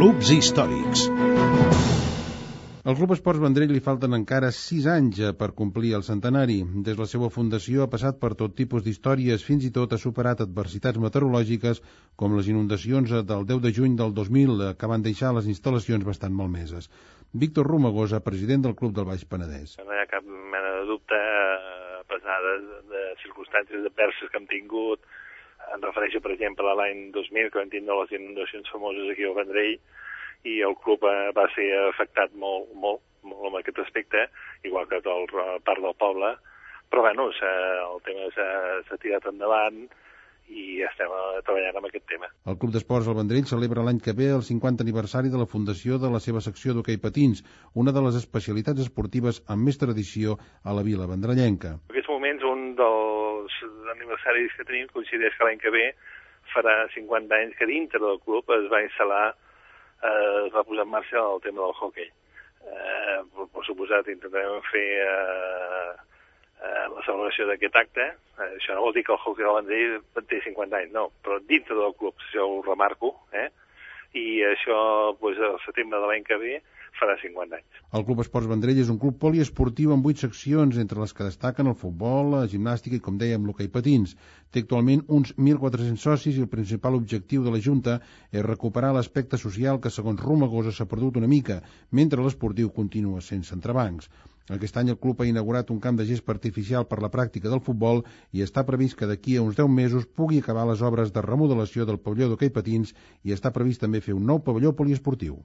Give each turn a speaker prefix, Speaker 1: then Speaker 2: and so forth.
Speaker 1: Clubs històrics.
Speaker 2: Al Club Esports Vendrell li falten encara 6 anys per complir el centenari. Des de la seva fundació ha passat per tot tipus d'històries, fins i tot ha superat adversitats meteorològiques com les inundacions del 10 de juny del 2000, que van deixar les instal·lacions bastant malmeses. Víctor Romagosa, president del Club del Baix Penedès.
Speaker 3: No hi ha cap mena de dubte, a pesar de circumstàncies adverses que hem tingut. Em refereixo, per exemple, a l'any 2000, que vam tindre les inundacions famoses aquí al Vendrell, i el club va ser afectat molt en aquest aspecte, igual que tota part del poble, però bueno, el tema s'ha tirat endavant i estem treballant amb aquest tema.
Speaker 2: El Club d'Esports al Vendrell celebra l'any que ve el 50 aniversari de la fundació de la seva secció d'hoquei patins, una de les especialitats esportives amb més tradició a la vila vendrellenca.
Speaker 3: En aquests moments, un dels aniversaris que tenim coincideix que l'any que ve farà 50 anys que dintre del club es va instal·lar, es va posar en marxa el tema del hoquei. Per suposat, intentarem fer la celebració d'aquest acte. Això no vol dir que el hoquei del Vendrell té 50 anys, no, però dintre del club, això ho remarco, i això al setembre de l'any que ve farà 50 anys.
Speaker 2: El Club Esports Vendrell és un club poliesportiu amb 8 seccions, entre les que destaquen el futbol, la gimnàstica i, com dèiem, l'hoquei patins. Té actualment uns 1.400 socis i el principal objectiu de la Junta és recuperar l'aspecte social que, segons Romagosa, s'ha perdut una mica, mentre l'esportiu continua sense entrebancs. Aquest any el club ha inaugurat un camp de gespa artificial per la pràctica del futbol i està previst que d'aquí a uns 10 mesos pugui acabar les obres de remodelació del pavelló d'hoquei patins i està previst també fer un nou pavelló poliesportiu.